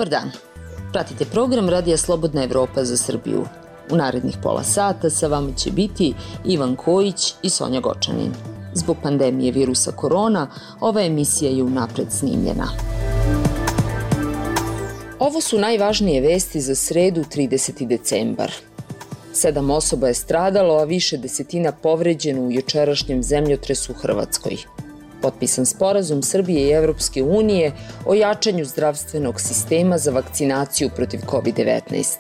Dobar dan. Pratite program Radija Slobodna Evropa za Srbiju. U narednih pola sata sa vama će biti Ivan Kojić i Sonja Gočanin. Zbog pandemije virusa korona, ova emisija je unapred snimljena. Ovo su najvažnije vesti za sredu 30. decembar. 7 osoba je stradalo, a više desetina povređeno u jučerašnjem zemljotresu u Hrvatskoj. Potpisan sporazum Srbije i Evropske unije o jačanju zdravstvenog sistema za vakcinaciju protiv COVID-19.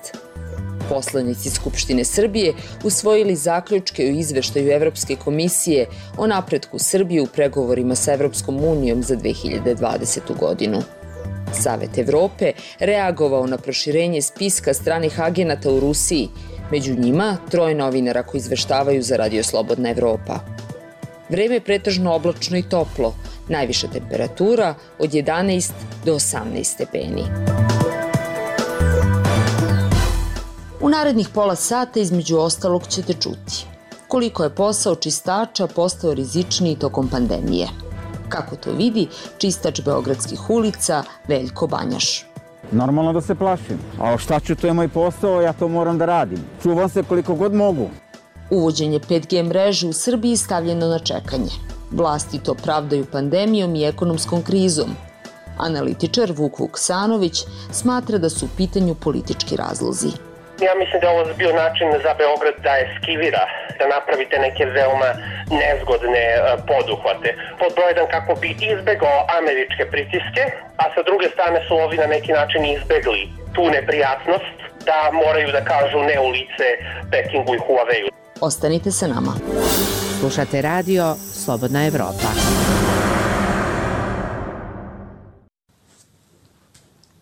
Poslanici Skupštine Srbije usvojili zaključke o izveštaju Evropske komisije o napretku Srbije u pregovorima sa Evropskom unijom za 2020. godinu. Savet Evrope reagovao na proširenje spiska stranih agenata u Rusiji, među njima 3 novinara koji izveštavaju za Radio Slobodna Evropa. Vreme je pretežno oblačno i toplo, najviša temperatura od 11 do 18 stepeni. U narednih pola sata između ostalog ćete čuti koliko je posao čistača postao rizičniji tokom pandemije. Kako to vidi čistač beogradskih ulica Veljko Banjaš. Normalno da se plašim, a šta ću, to je moj posao, ja to moram da radim. Čuvam se koliko god mogu. Uvođenje 5G mreže u Srbiji stavljeno na čekanje. Vlasti to pravdaju pandemijom i ekonomskom krizom. Analitičar Vuk Vuksanović smatra da su u pitanju politički razlozi. Ja mislim da je ovo bio način za Beograd da eskivira, da napravite neke veoma nezgodne poduhvate. Pod broj 1 kako bi izbegao američke pritiske, a sa druge strane su ovi na neki način izbegli tu neprijatnost da moraju da kažu ne u lice Pekingu i Huawei. Ostanite sa nama. Slušate radio Slobodna Evropa.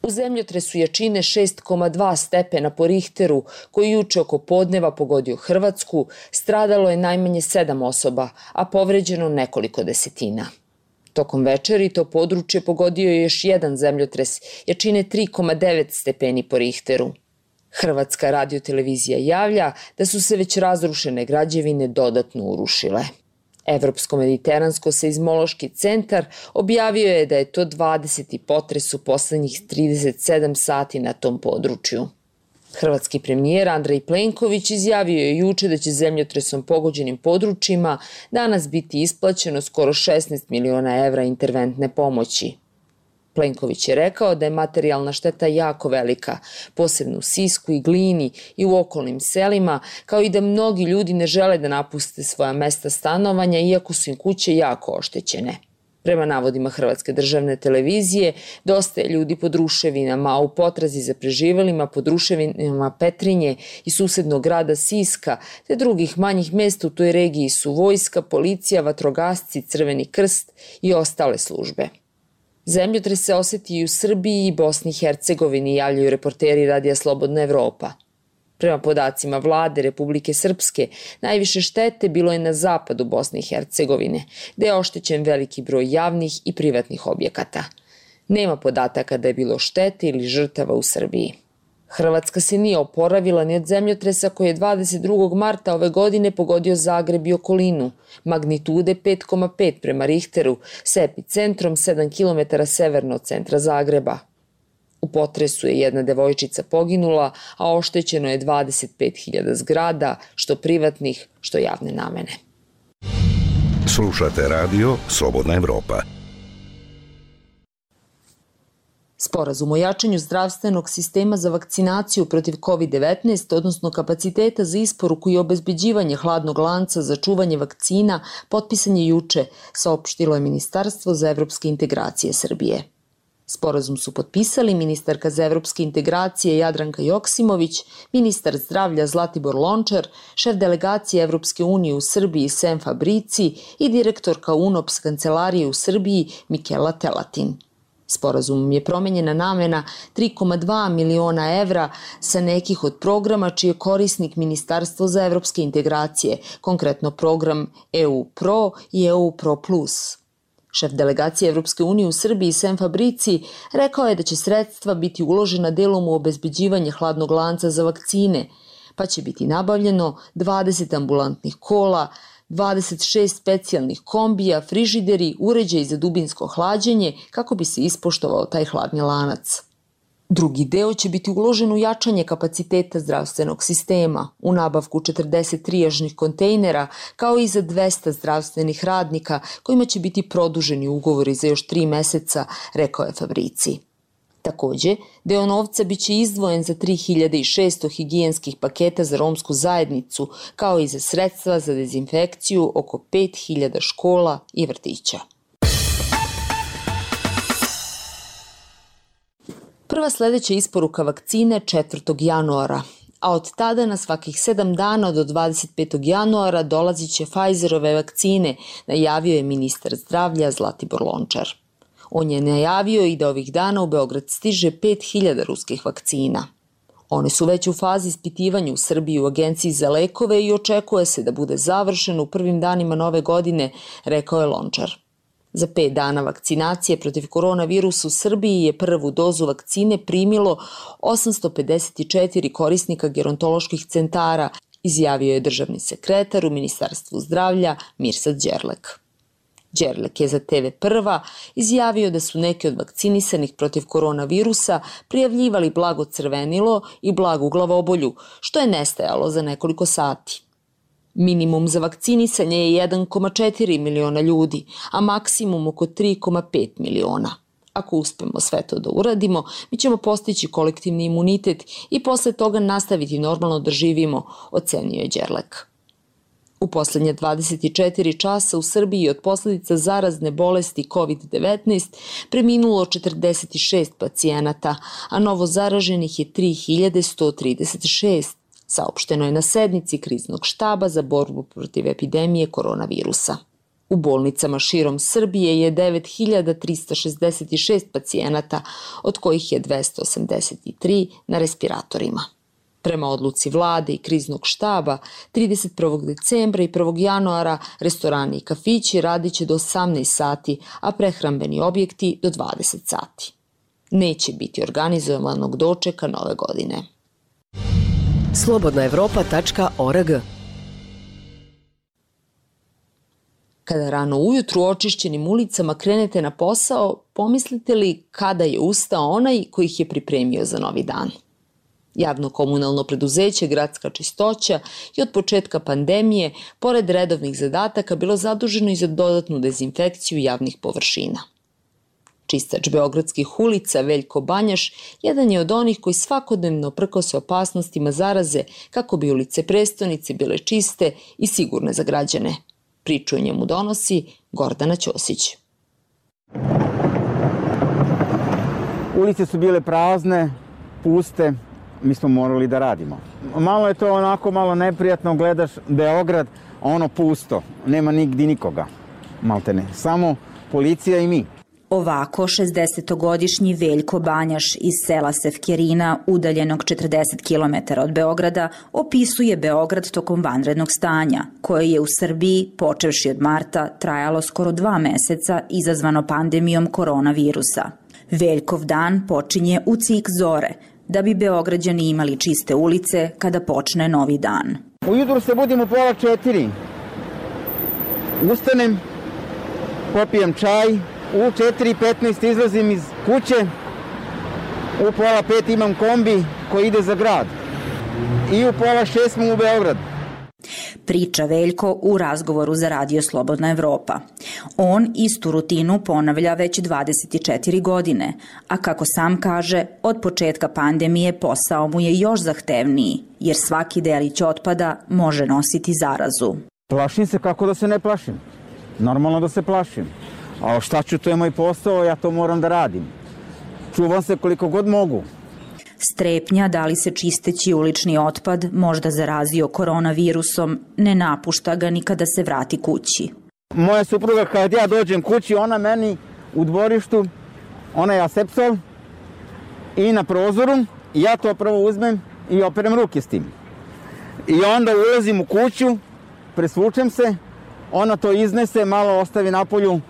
U zemljotresu jačine 6,2 stepena po Richteru, koji juče oko podneva pogodio Hrvatsku, stradalo je najmanje 7 osoba, a povređeno nekoliko desetina. Tokom večeri to područje pogodio je još jedan zemljotres jačine 3,9 stepeni po Richteru. Hrvatska radiotelevizija javlja da su se već razrušene građevine dodatno urušile. Evropsko-mediteransko-seizmološki centar objavio je da je to 20. potres u poslednjih 37 sati na tom području. Hrvatski premijer Andrej Plenković izjavio je juče da će zemljotresom pogođenim područjima danas biti isplaćeno skoro 16 miliona evra interventne pomoći. Plenković je rekao da je materijalna šteta jako velika, posebno u Sisku i Glini i u okolnim selima, kao i da mnogi ljudi ne žele da napuste svoja mesta stanovanja iako su im kuće jako oštećene. Prema navodima Hrvatske državne televizije, dosta je ljudi pod ruševinama, a u potrazi za preživelima pod ruševinama Petrinje i susednog grada Siska, te drugih manjih mesta u toj regiji su vojska, policija, vatrogasci, Crveni krst i ostale službe. Zemljotres se oseti i u Srbiji i Bosni i Hercegovini, javljaju reporteri Radija Slobodna Evropa. Prema podacima vlade Republike Srpske, najviše štete bilo je na zapadu Bosne i Hercegovine, gde je oštećen veliki broj javnih i privatnih objekata. Nema podataka da je bilo štete ili žrtava u Srbiji. Hrvatska se nije oporavila ni od zemljotresa koji je 22. marta ove godine pogodio Zagreb i okolinu, magnitude 5,5 prema Richteru, sa epicentrom 7 km severno od centra Zagreba. U potresu je jedna devojčica poginula, a oštećeno je 25.000 zgrada, što privatnih, što javne namene. Slušate radio Slobodna Evropa. Sporazum o jačanju zdravstvenog sistema za vakcinaciju protiv COVID-19, odnosno kapaciteta za isporuku i obezbeđivanje hladnog lanca za čuvanje vakcina, potpisan je juče, saopštilo je Ministarstvo za evropske integracije Srbije. Sporazum su potpisali ministarka za evropske integracije Jadranka Joksimović, ministar zdravlja Zlatibor Lončar, šef delegacije Evropske unije u Srbiji Sem Fabrici i direktorka UNOPS kancelarije u Srbiji Mikela Telatin. Sporazumom je promenjena namena 3,2 miliona evra sa nekih od programa čiji je korisnik Ministarstvo za evropske integracije, konkretno program EU Pro i EU Pro Plus. Šef delegacije Evropske unije u Srbiji Sem Fabrici rekao je da će sredstva biti uložena delom u obezbeđivanje hladnog lanca za vakcine, pa će biti nabavljeno 20 ambulantnih kola, 26 specijalnih kombija, frižideri, uređaji za dubinsko hlađenje kako bi se ispoštovao taj hladni lanac. Drugi deo će biti uložen u jačanje kapaciteta zdravstvenog sistema, u nabavku 40 trijažnih kontejnera, kao i za 200 zdravstvenih radnika kojima će biti produženi ugovori za još 3 meseca, rekao je Fabrici. Takođe, deo novca biće izdvojen za 3600 higijenskih paketa za romsku zajednicu, kao i za sredstva za dezinfekciju oko 5000 škola i vrtića. Prva sledeća isporuka vakcine 4. januara, a od tada na svakih 7 dana do 25. januara dolazit će Pfizerove vakcine, najavio je ministar zdravlja Zlatibor Lončar. On je najavio i da ovih dana u Beograd stiže 5000 ruskih vakcina. One su već u fazi ispitivanja u Srbiji u Agenciji za lekove i očekuje se da bude završeno u prvim danima nove godine, rekao je Lončar. Za 5 dana vakcinacije protiv koronavirusa u Srbiji je prvu dozu vakcine primilo 854 korisnika gerontoloških centara, izjavio je državni sekretar u Ministarstvu zdravlja Mirsad Đerlek. Đerlek je za TV Prva izjavio da su neki od vakcinisanih protiv koronavirusa prijavljivali blago crvenilo i blagu glavobolju, što je nestajalo za nekoliko sati. Minimum za vakcinisanje je 1,4 miliona ljudi, a maksimum oko 3,5 miliona. Ako uspemo sve to da uradimo, mi ćemo postići kolektivni imunitet i posle toga nastaviti normalno da živimo, ocenio je Đerlek. U poslednje 24 časa u Srbiji od posledica zarazne bolesti COVID-19 preminulo 46 pacijenata, a novo zaraženih je 3136, saopšteno je na sednici kriznog štaba za borbu protiv epidemije koronavirusa. U bolnicama širom Srbije je 9366 pacijenata, od kojih je 283 na respiratorima. Prema odluci vlade i kriznog štaba, 31. decembra i 1. januara restorani i kafići radiće do 18 sati, a prehrambeni objekti do 20 sati. Neće biti organizovanog dočeka nove godine. Slobodnaevropa.org. Kada rano ujutru očišćenim ulicama krenete na posao, pomislite li kada je ustao onaj koji ih je pripremio za novi dan? Javno-komunalno preduzeće Gradska čistoća je od početka pandemije, pored redovnih zadataka, bilo zaduženo i za dodatnu dezinfekciju javnih površina. Čistač beogradskih ulica Veljko Banjaš jedan je od onih koji svakodnevno prkose opasnostima zaraze kako bi ulice prestonice bile čiste i sigurne za građane. Priču o njemu donosi Gordana Ćosić. Ulice su bile prazne, puste, mi smo morali da radimo. Malo je to onako malo neprijatno, gledaš Beograd, ono pusto, nema nigdje nikoga, maltene, samo policija i mi. Ovako 60-godišnji Veljko Banjaš iz sela Sevkjerina, udaljenog 40 km od Beograda, opisuje Beograd tokom vanrednog stanja, koje je u Srbiji, počevši od marta, trajalo skoro 2 meseca, izazvano pandemijom koronavirusa. Veljkov dan počinje u cik zore, da bi Beograđani imali čiste ulice kada počne novi dan. Ujutru se budim u 3:30. Ustanem, popijem čaj, u 4:15 izlazim iz kuće, u 4:30 imam kombi koji ide za grad i u 5:30 smo u Beograd. Priča Veljko u razgovoru za Radio Slobodna Evropa. On istu rutinu ponavlja već 24 godine, a kako sam kaže, od početka pandemije posao mu je još zahtevniji, jer svaki delić otpada može nositi zarazu. Plašim se, kako da se ne plašim. Normalno da se plašim. A šta ću, to je moj posao, ja to moram da radim. Čuvam se koliko god mogu. Strepnja da li se čisteći ulični otpad možda zarazio koronavirusom ne napušta ga ni kada se vrati kući. Moja supruga kad ja dođem kući, ona meni u dvorištu, ona je asepsol i na prozoru, ja to prvo uzmem i operem ruke s tim. I onda ulazim u kuću, presvučem se, ona to iznese, malo ostavi napolju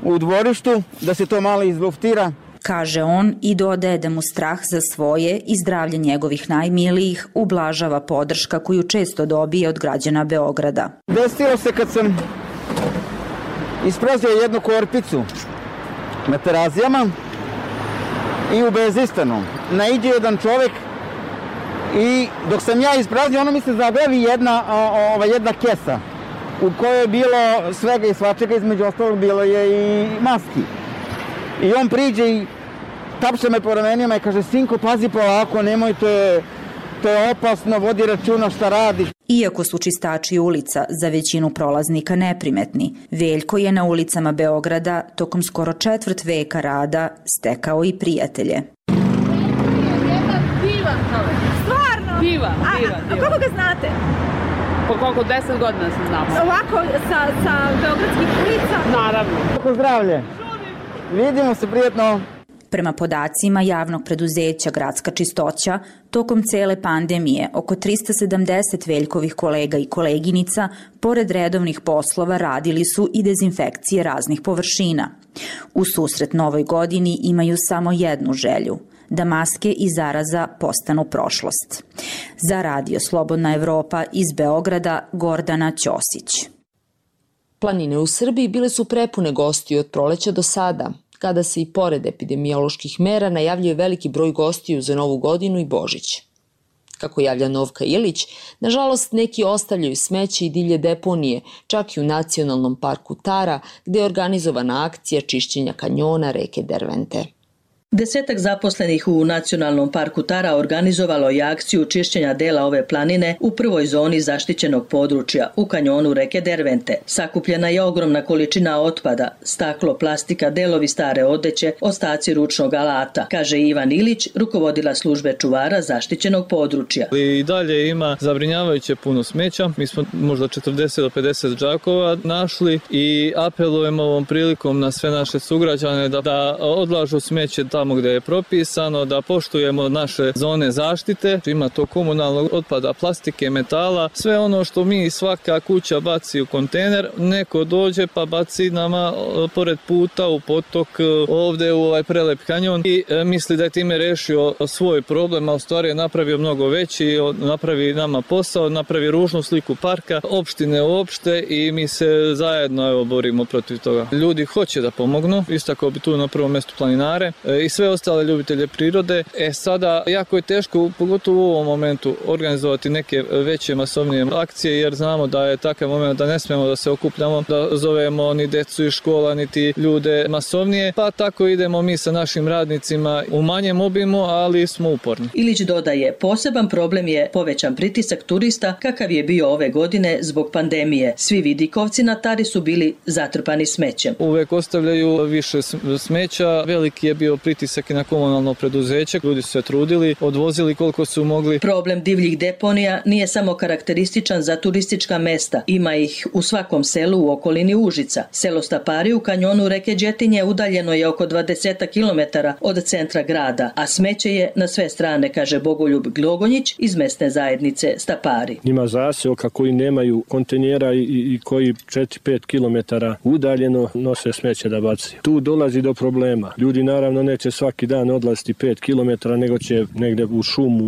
u dvorištu, da se to malo izluftira. Kaže on i dodaje da mu strah za svoje i zdravlje njegovih najmilijih ublažava podrška koju često dobije od građana Beograda. Desilo se kad sam isprazio jednu korpicu na Terazijama i u Bezistanu naiđe jedan čovjek i dok sam ja ispraznio, ono mi se zagravi jedna kesa u kojoj je bilo svega i svačega, između ostalog bilo je i maski. I on priđe i tapše me po ramenima i kaže: sinko, pazi polako, nemoj, to je opasno, vodi računa šta radiš. Iako su čistači ulica za većinu prolaznika neprimetni, Veljko je na ulicama Beograda tokom skoro četvrt veka rada stekao i prijatelje. Jedan divan čovek. Stvarno? Divan. A kako ga znate? Po koliko, 10 godina se znamo. Ovako, sa beogradskih ulica? Naravno. Kako zdravlje? Vidimo se, prijetno. Prema podacima javnog preduzeća Gradska čistoća, tokom cele pandemije oko 370 Veljkovih kolega i koleginica, pored redovnih poslova, radili su i dezinfekcije raznih površina. U susret novoj godini imaju samo jednu želju – da maske i zaraza postanu prošlost. Za Radio Slobodna Evropa iz Beograda, Gordana Ćosić. Planine u Srbiji bile su prepune gostiju od proleća do sada, kada se i pored epidemioloških mera najavljuje veliki broj gostiju za Novu godinu i Božić. Kako javlja Novka Ilić, nažalost neki ostavljaju smeće i divlje deponije, čak i u Nacionalnom parku Tara, gde je organizovana akcija čišćenja kanjona reke Dervente. 10 zaposlenih u Nacionalnom parku Tara organizovalo je akciju čišćenja dela ove planine u prvoj zoni zaštićenog područja, u kanjonu reke Dervente. Sakupljena je ogromna količina otpada, staklo, plastika, delovi stare odeće, ostaci ručnog alata, kaže Ivan Ilić, rukovodila službe čuvara zaštićenog područja. I dalje ima zabrinjavajuće puno smeća. Mi smo možda 40 do 50 džakova našli i apelujemo ovom prilikom na sve naše sugrađane da odlažu smeće tamo gde je propisano, da poštujemo naše zone zaštite. Ima to komunalnog otpada, plastike, metala, sve ono što mi svaka kuća baci u kontejner, neko dođe pa baci nama pored puta u potok, ovde u ovaj prelep kanjon i misli da je time rešio svoj problem, a u stvari je napravio mnogo veći, napravi nama posao, napravi ružnu sliku parka, opštine uopšte i mi se zajedno borimo protiv toga. Ljudi hoće da pomognu, istako bi tu na prvom mestu planinare i sve ostale ljubitelje prirode. Sada jako je teško, pogotovo u ovom momentu, organizovati neke veće masovnije akcije, jer znamo da je takav moment da ne smemo da se okupljamo, da zovemo ni decu iz škola, niti ljude masovnije, pa tako idemo mi sa našim radnicima u manjem obimu, ali smo uporni. Ilić dodaje, poseban problem je povećan pritisak turista kakav je bio ove godine zbog pandemije. Svi vidikovci na Tari su bili zatrpani smećem. Uvek ostavljaju više smeća, veliki je bio pritisak i na komunalno preduzeće. Ljudi su se trudili, odvozili koliko su mogli. Problem divljih deponija nije samo karakterističan za turistička mesta. Ima ih u svakom selu u okolini Užica. Selo Stapari u kanjonu reke Đetinje udaljeno je oko 20 km od centra grada, a smeće je na sve strane, kaže Bogoljub Glogonjić iz mesne zajednice Stapari. Ima zaseoka koji nemaju kontejnera i koji 4-5 km udaljeno nose smeće da baci. Tu dolazi do problema. Ljudi naravno neće svaki dan odlaziti 5 km, nego će negde u šumu,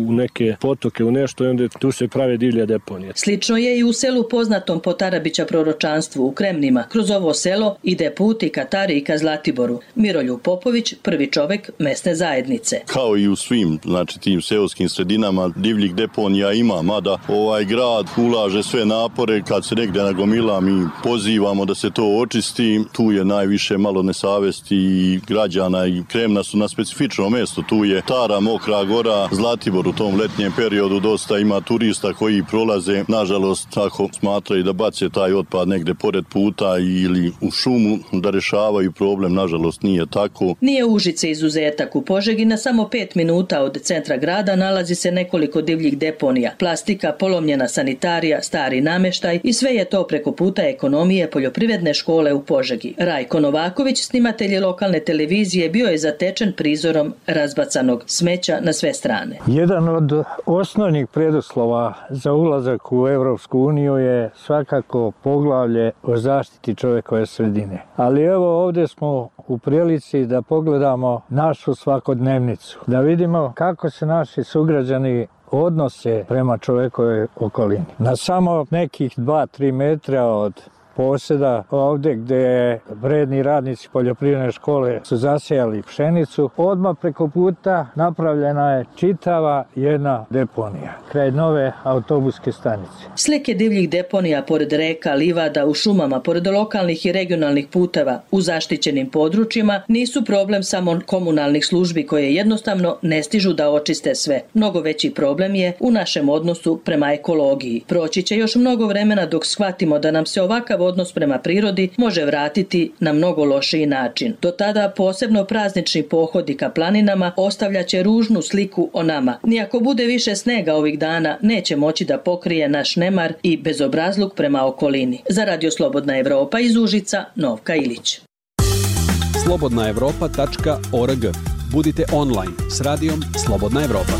u neke potoke, u nešto, i onda tu se prave divlje deponije. Slično je i u selu poznatom po Tarabića proročanstvu u Kremnima. Kroz ovo selo ide put i ka Tari i ka Zlatiboru. Miroljub Popović, prvi čovek mesne zajednice. Kao i u svim, tim seoskim sredinama divljih deponija ima, mada ovaj grad ulaže sve napore kad se negde nagomila, mi pozivamo da se to očisti. Tu je najviše malo nesavesti i građana i Kremna su na specifičnom mjestu. Tu je Tara, Mokra Gora, Zlatibor u tom letnjem periodu dosta ima turista koji prolaze. Nažalost, ako smatraju da bace taj otpad negde pored puta ili u šumu, da rešavaju problem, nažalost nije tako. Nije Užice izuzetak. U Požegi na samo 5 minuta od centra grada nalazi se nekoliko divljih deponija. Plastika, polomljena sanitarija, stari nameštaj i sve je to preko puta ekonomije poljoprivredne škole u Požegi. Rajko Novaković, snimatelj lokalne televizije, bio je zatečen prizorom razbacanog smeća na sve strane. Jedan od osnovnih preduslova za ulazak u Evropsku uniju je svakako poglavlje o zaštiti čovekove sredine. Ali evo ovdje smo u prilici da pogledamo našu svakodnevnicu, da vidimo kako se naši sugrađani odnose prema čovekove okolini. Na samo nekih 2-3 metra od posjeda ovdje gdje vredni radnici poljoprivredne škole su zasijali pšenicu. Odmah preko puta napravljena je čitava jedna deponija kraj nove autobuske stanice. Slike divljih deponija pored reka, livada, u šumama, pored lokalnih i regionalnih puteva, u zaštićenim područjima nisu problem samo komunalnih službi koje jednostavno ne stižu da očiste sve. Mnogo veći problem je u našem odnosu prema ekologiji. Proći će još mnogo vremena dok shvatimo da nam se ovakav odnos prema prirodi može vratiti na mnogo lošiji način. Do tada posebno praznični pohodi ka planinama ostavljaće ružnu sliku o nama. Nijako bude više snega ovih dana, neće moći da pokrije naš nemar i bezobrazluk prema okolini. Za Radio Slobodna Evropa iz Užica, Novka Ilić. slobodnaevropa.org. Budite online s radijom Slobodna Evropa.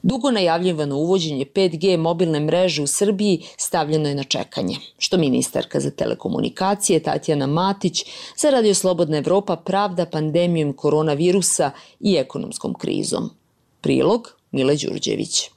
Dugo najavljivano uvođenje 5G mobilne mreže u Srbiji stavljeno je na čekanje, što ministarka za telekomunikacije Tatjana Matić za Radio Slobodna Evropa pravda pandemijom koronavirusa i ekonomskom krizom. Prilog Mile Đurđević.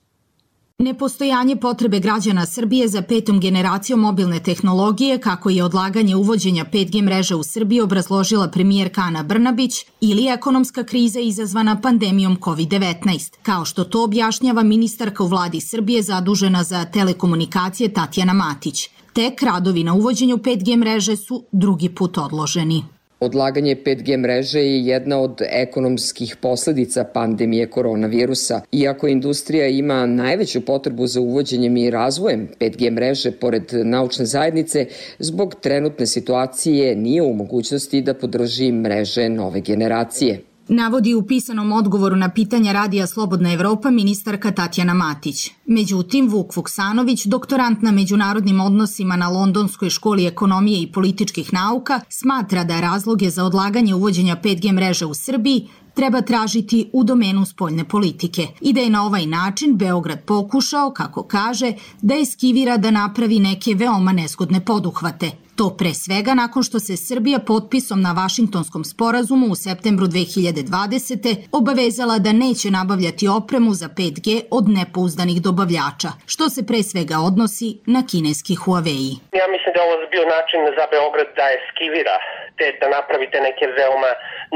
Nepostojanje potrebe građana Srbije za 5. generacijom mobilne tehnologije, kako je odlaganje uvođenja 5G mreže u Srbiji obrazložila premijerka Ana Brnabić, ili ekonomska kriza izazvana pandemijom COVID-19, kao što to objašnjava ministarka u vladi Srbije zadužena za telekomunikacije Tatjana Matić. Tek radovi na uvođenju 5G mreže su drugi put odloženi. Odlaganje 5G mreže je jedna od ekonomskih posledica pandemije koronavirusa. Iako industrija ima najveću potrebu za uvođenjem i razvojem 5G mreže pored naučne zajednice, zbog trenutne situacije nije u mogućnosti da podrži mreže nove generacije. Navodi u pisanom odgovoru na pitanja Radija Slobodna Evropa ministarka Tatjana Matić. Međutim, Vuk Vuksanović, doktorant na međunarodnim odnosima na Londonskoj školi ekonomije i političkih nauka, smatra da razloge za odlaganje uvođenja 5G mreže u Srbiji treba tražiti u domenu spoljne politike i da je na ovaj način Beograd pokušao, kako kaže, da eskivira da napravi neke veoma nezgodne poduhvate. To pre svega nakon što se Srbija potpisom na Vašingtonskom sporazumu u septembru 2020. obavezala da neće nabavljati opremu za 5G od nepouzdanih dobavljača, što se pre svega odnosi na kineski Huawei. Ja mislim da je ovo bio način za Beograd da eskivira, te da napravite neke veoma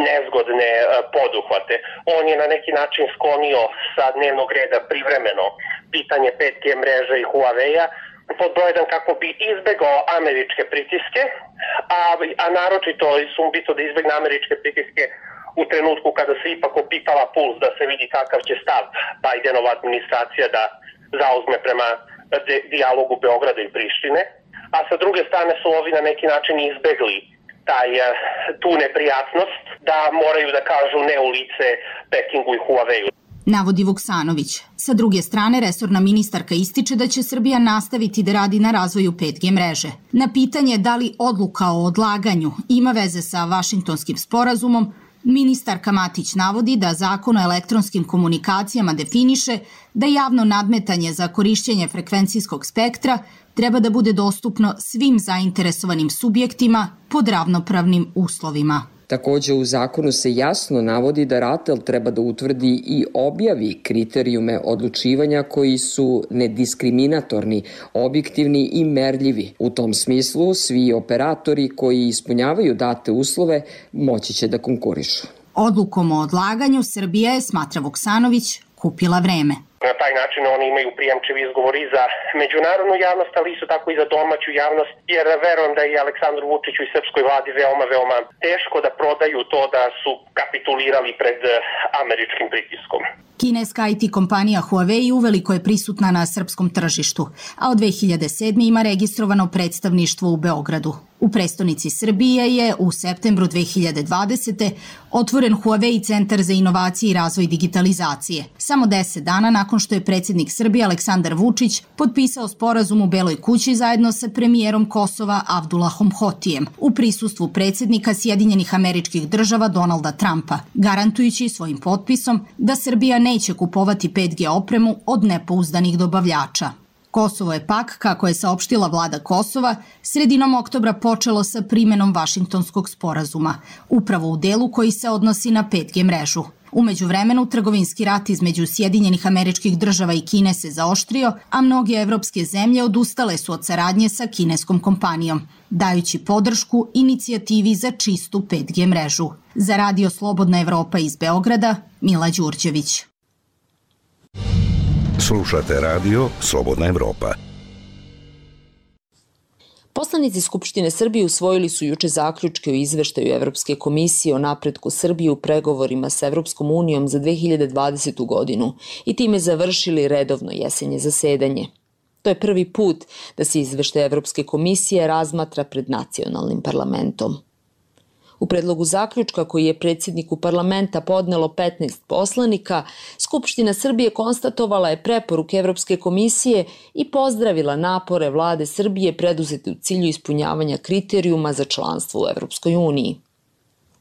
nezgodne poduhvate. On je na neki način sklonio sa dnevnog reda privremeno pitanje 5G mreže i Huawei-a, pod broj 1 kako bi izbegao američke pritiske, a naročito sumbito da izbegne američke pritiske u trenutku kada se ipak opipala puls da se vidi kakav će stav Bajdenova administracija da zauzme prema dijalogu Beograda i Prištine, a sa druge strane su ovi na neki način izbegli tu neprijatnost da moraju da kažu ne u lice Pekingu i Huawei-u. Navodi Vuksanović. Sa druge strane, resorna ministarka ističe da će Srbija nastaviti da radi na razvoju 5G mreže. Na pitanje da li odluka o odlaganju ima veze sa Vašingtonskim sporazumom, ministarka Matić navodi da Zakon o elektronskim komunikacijama definiše da javno nadmetanje za korišćenje frekvencijskog spektra treba da bude dostupno svim zainteresovanim subjektima pod ravnopravnim uslovima. Takođe u zakonu se jasno navodi da RATEL treba da utvrdi i objavi kriterijume odlučivanja koji su nediskriminatorni, objektivni i merljivi. U tom smislu svi operatori koji ispunjavaju date uslove moći će da konkurišu. Odlukom o odlaganju Srbija je, smatra Vuksanović, kupila vreme. Na taj način oni imaju prijemčiv izgovor i za međunarodnu javnost, ali isto tako i za domaću javnost, jer verujem da i Aleksandru Vučiću i srpskoj vladi veoma teško da prodaju to da su kapitulirali pred američkim pritiskom. Kineska IT kompanija Huawei uveliko je prisutna na srpskom tržištu, a od 2007. ima registrovano predstavništvo u Beogradu. U prestonici Srbije je u septembru 2020. otvoren Huawei centar za inovacije i razvoj digitalizacije. Samo 10 dana nakon što je predsjednik Srbije Aleksandar Vučić potpisao sporazum u Beloj kući zajedno sa premijerom Kosova Abdullahom Hotijem u prisustvu predsjednika Sjedinjenih Američkih Država Donalda Trumpa, garantujući svojim potpisom da Srbija neće kupovati 5G opremu od nepouzdanih dobavljača. Kosovo je pak, kako je saopštila vlada Kosova, sredinom oktobra počelo sa primenom Vašingtonskog sporazuma, upravo u delu koji se odnosi na 5G mrežu. U međuvremenu, trgovinski rat između Sjedinjenih Američkih Država i Kine se zaoštrio, a mnoge evropske zemlje odustale su od saradnje sa kineskom kompanijom, dajući podršku inicijativi za čistu 5G mrežu. Za Radio Slobodna Evropa iz Beograda, Mila Đurđević. Slušate Radio Slobodna Evropa. Poslanici Skupštine Srbije usvojili su juče zaključke o izveštaju Evropske komisije o napretku Srbije u pregovorima sa Evropskom unijom za 2020. godinu i time završili redovno jesenje zasedanje. To je prvi put da se izveštaj Evropske komisije razmatra pred nacionalnim parlamentom. U predlogu zaključka koji je predsjedniku parlamenta podnelo 15 poslanika, Skupština Srbije konstatovala je preporuke Evropske komisije i pozdravila napore vlade Srbije preduzete u cilju ispunjavanja kriterijuma za članstvo u Evropskoj uniji.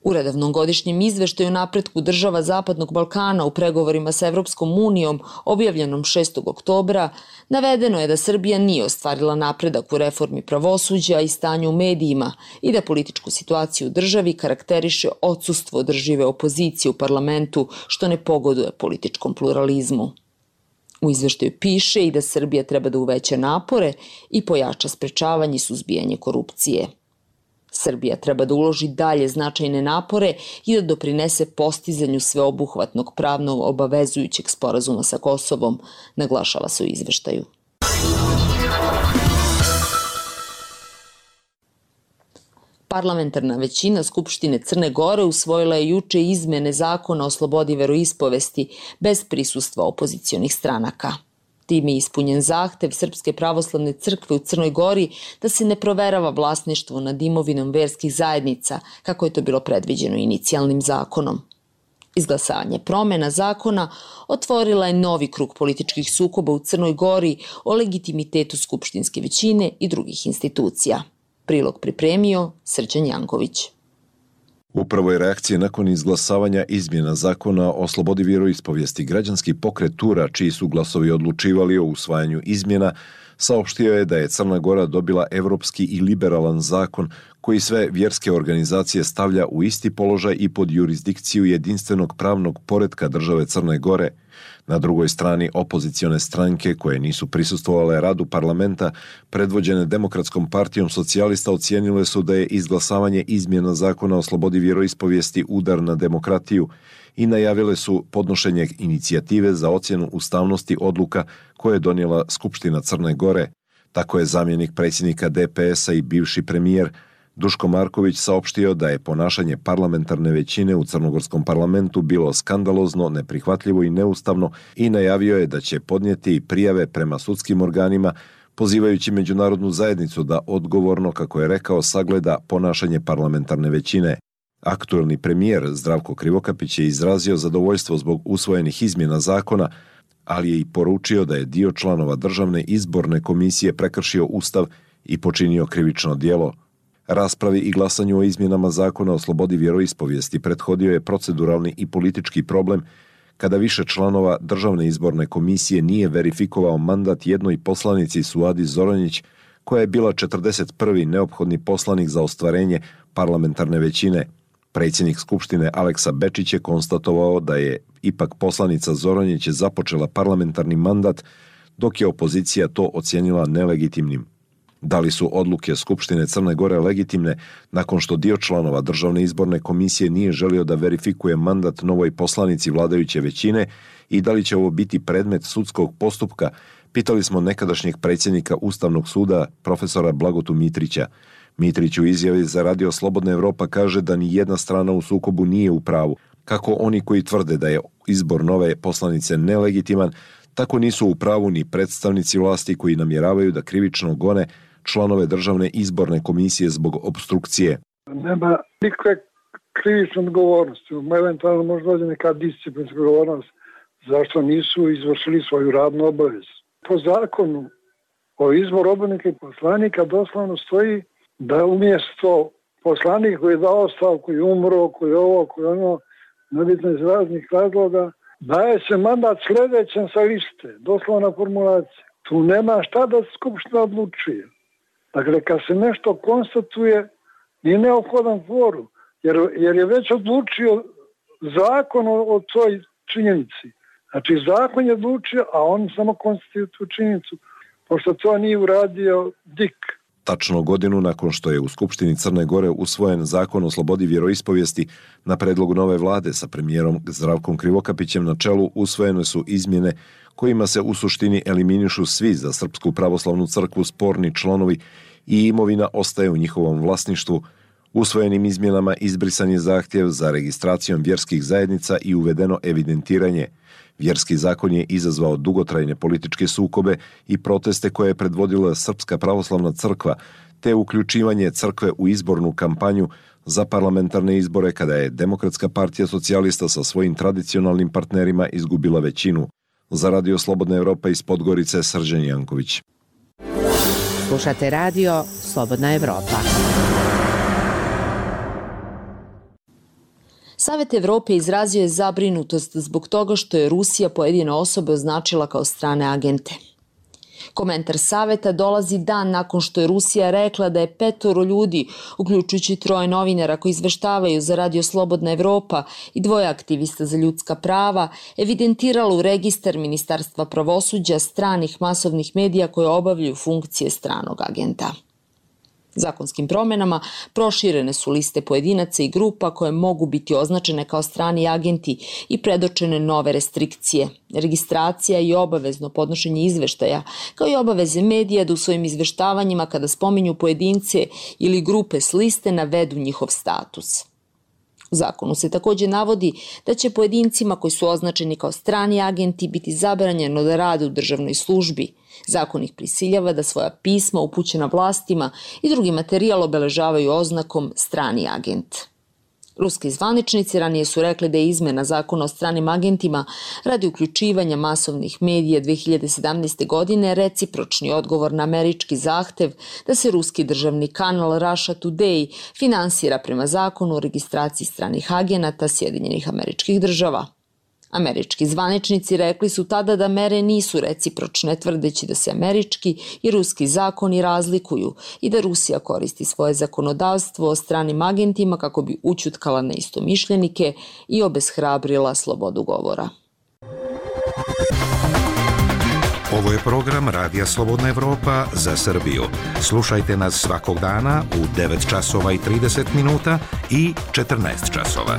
U redovnom godišnjem izveštaju napretku država Zapadnog Balkana u pregovorima sa Evropskom unijom, objavljenom 6. oktobra, navedeno je da Srbija nije ostvarila napredak u reformi pravosuđa i stanju u medijima i da političku situaciju u državi karakteriše odsustvo održive opozicije u parlamentu, što ne pogoduje političkom pluralizmu. U izveštaju piše i da Srbija treba da uveća napore i pojača sprečavanje i suzbijanje korupcije. Srbija treba da uloži dalje značajne napore i da doprinese postizanju sveobuhvatnog pravno obavezujućeg sporazuma sa Kosovom, naglašava se u izveštaju. Parlamentarna većina Skupštine Crne Gore usvojila je juče izmene zakona o slobodi veroispovesti bez prisustva opozicionih stranaka. Time je ispunjen zahtev Srpske pravoslavne crkve u Crnoj Gori da se ne proverava vlasništvo nad imovinom verskih zajednica, kako je to bilo predviđeno inicijalnim zakonom. Izglasavanje promena zakona otvorila je novi krug političkih sukoba u Crnoj Gori o legitimitetu skupštinske većine i drugih institucija. Prilog pripremio Srđan Janković. Upravo je reakcija nakon izglasavanja izmjena zakona o slobodi vjeroispovijesti. Građanski pokret Tura, čiji su glasovi odlučivali o usvajanju izmjena, saopštio je da je Crna Gora dobila evropski i liberalan zakon koji sve vjerske organizacije stavlja u isti položaj i pod jurisdikciju jedinstvenog pravnog poretka države Crne Gore. Na drugoj strani opozicione stranke koje nisu prisustvovale radu parlamenta, predvođene Demokratskom partijom socijalista, ocijenile su da je izglasavanje izmjena zakona o slobodi vjeroispovijesti udar na demokratiju i najavile su podnošenje inicijative za ocjenu ustavnosti odluka koje je donijela Skupština Crne Gore. Tako je zamjenik predsjednika DPS-a i bivši premijer Duško Marković saopštio da je ponašanje parlamentarne većine u crnogorskom parlamentu bilo skandalozno, neprihvatljivo i neustavno i najavio je da će podnijeti prijave prema sudskim organima, pozivajući međunarodnu zajednicu da odgovorno, kako je rekao, sagleda ponašanje parlamentarne većine. Aktuelni premijer Zdravko Krivokapić je izrazio zadovoljstvo zbog usvojenih izmjena zakona, ali je i poručio da je dio članova Državne izborne komisije prekršio Ustav i počinio krivično djelo. Raspravi i glasanju o izmjenama zakona o slobodi vjeroispovijesti prethodio je proceduralni i politički problem kada više članova Državne izborne komisije nije verifikovao mandat jednoj poslanici Suadi Zoranjić, koja je bila 41. neophodni poslanik za ostvarenje parlamentarne većine. Predsjednik Skupštine Aleksa Bečić je konstatovao da je ipak poslanica Zoranjić započela parlamentarni mandat, dok je opozicija to ocijenila nelegitimnim. Da li su odluke Skupštine Crne Gore legitimne nakon što dio članova Državne izborne komisije nije želio da verifikuje mandat novoj poslanici vladajuće većine i da li će ovo biti predmet sudskog postupka, pitali smo nekadašnjeg predsjednika Ustavnog suda profesora Blagotu Mitrića. Mitrić u izjavi za Radio Slobodna Evropa kaže da ni jedna strana u sukobu nije u pravu. Kako oni koji tvrde da je izbor nove poslanice nelegitiman, tako nisu u pravu ni predstavnici vlasti koji namjeravaju da krivično gone članove Državne izborne komisije zbog obstrukcije. Nema nikakve krivične odgovornosti, eventualno možda dođe neka disciplinska odgovornost zašto nisu izvršili svoju radnu obavezu. Po zakonu o izboru odbornika i poslanika doslovno stoji da umjesto poslanika koji je dao ostavku, koji je umro, koji je ovo, koji je ono, nebitno iz raznih razloga, daje se mandat sljedećem sa liste, doslovna formulacija. Tu nema šta da Skupština odlučuje. Dakle, kad se nešto konstatuje, nije neophodan kvorum, jer je već odlučio zakon o toj činjenici. Znači, zakon je odlučio, a on samo konstatuje tu činjenicu, pošto to nije uradio DIK. Tačno godinu nakon što je u Skupštini Crne Gore usvojen zakon o slobodi vjeroispovijesti, na predlogu nove vlade sa premijerom Zdravkom Krivokapićem na čelu usvojene su izmjene kojima se u suštini eliminišu svi za Srpsku pravoslavnu crkvu sporni članovi i imovina ostaje u njihovom vlasništvu. Usvojenim izmjenama izbrisan je zahtjev za registracijom vjerskih zajednica i uvedeno evidentiranje. Vjerski zakon je izazvao dugotrajne političke sukobe i proteste koje je predvodila Srpska pravoslavna crkva, te uključivanje crkve u izbornu kampanju za parlamentarne izbore kada je Demokratska partija socijalista sa svojim tradicionalnim partnerima izgubila većinu. Za Radio Slobodna Evropa iz Podgorice, Srđan Janković. Slušate Radio Slobodna Evropa. Savet Evrope izrazio je zabrinutost zbog toga što je Rusija pojedine osobe označila kao strane agente. Komentar Saveta dolazi dan nakon što je Rusija rekla da je 5 ljudi, uključujući 3 novinara koji izveštavaju za Radio Slobodna Evropa i 2 aktivista za ljudska prava, evidentiralo u registar Ministarstva pravosuđa stranih masovnih medija koje obavljaju funkcije stranog agenta. Zakonskim promjenama proširene su liste pojedinaca i grupa koje mogu biti označene kao strani agenti i predočene nove restrikcije, registracija i obavezno podnošenje izveštaja, kao i obaveze medija da u svojim izveštavanjima kada spominju pojedince ili grupe s liste navedu njihov status. U zakonu se također navodi da će pojedincima koji su označeni kao strani agenti biti zabranjeno da rade u državnoj službi. Zakon ih prisiljava da svoja pisma upućena vlastima i drugi materijal obeležavaju oznakom strani agent. Ruski zvaničnici ranije su rekli da je izmena zakona o stranim agentima radi uključivanja masovnih medija 2017. godine recipročni odgovor na američki zahtev da se ruski državni kanal Russia Today finansira prema zakonu o registraciji stranih agenata Sjedinjenih Američkih Država. Američki zvaničnici rekli su tada da mere nisu recipročne, tvrdeći da se američki i ruski zakoni razlikuju i da Rusija koristi svoje zakonodavstvo o stranim agentima kako bi ućutkala neistomišljenike i obeshrabrila slobodu govora. Ovo je program Radija Slobodna Evropa za Srbiju. Slušajte nas svakog dana u 9 časova i 30 minuta i 14 časova.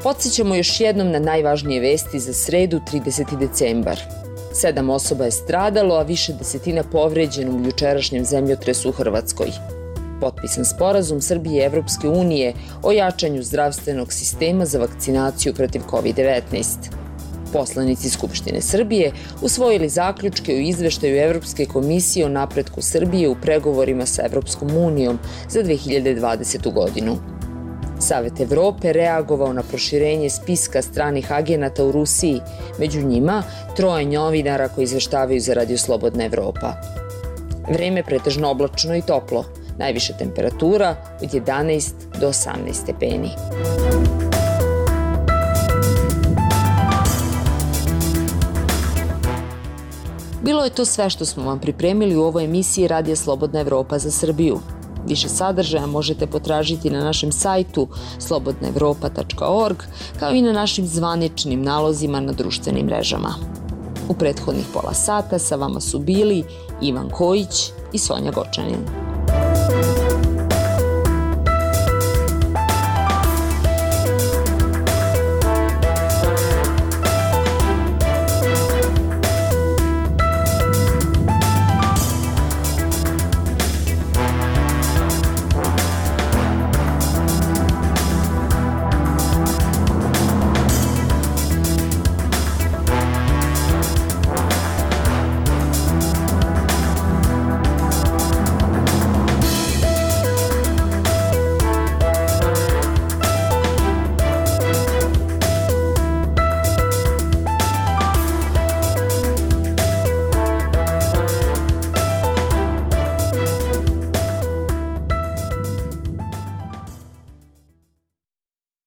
Podsjećamo još jednom na najvažnije vesti za sredu 30. decembar. 7 osoba je stradalo, a više desetina povređeno u jučerašnjem zemljotresu u Hrvatskoj. Potpisan sporazum Srbije i Evropske unije o jačanju zdravstvenog sistema za vakcinaciju protiv COVID-19. Poslanici Skupštine Srbije usvojili zaključke u izveštaju Evropske komisije o napretku Srbije u pregovorima sa Evropskom unijom za 2020. godinu. Savet Evrope reagovao na proširenje spiska stranih agenata u Rusiji, među njima 3 novinara koji izveštavaju za Radio Slobodna Evropa. Vreme pretežno oblačno i toplo, najviša temperatura od 11 do 18 stepeni. Bilo je to sve što smo vam pripremili u ovoj emisiji Radija Slobodna Evropa za Srbiju. Više sadržaja možete potražiti na našem sajtu slobodnaevropa.org, kao i na našim zvaničnim nalozima na društvenim mrežama. U prethodnih pola sata sa vama su bili Ivan Kojić i Sonja Gočanin.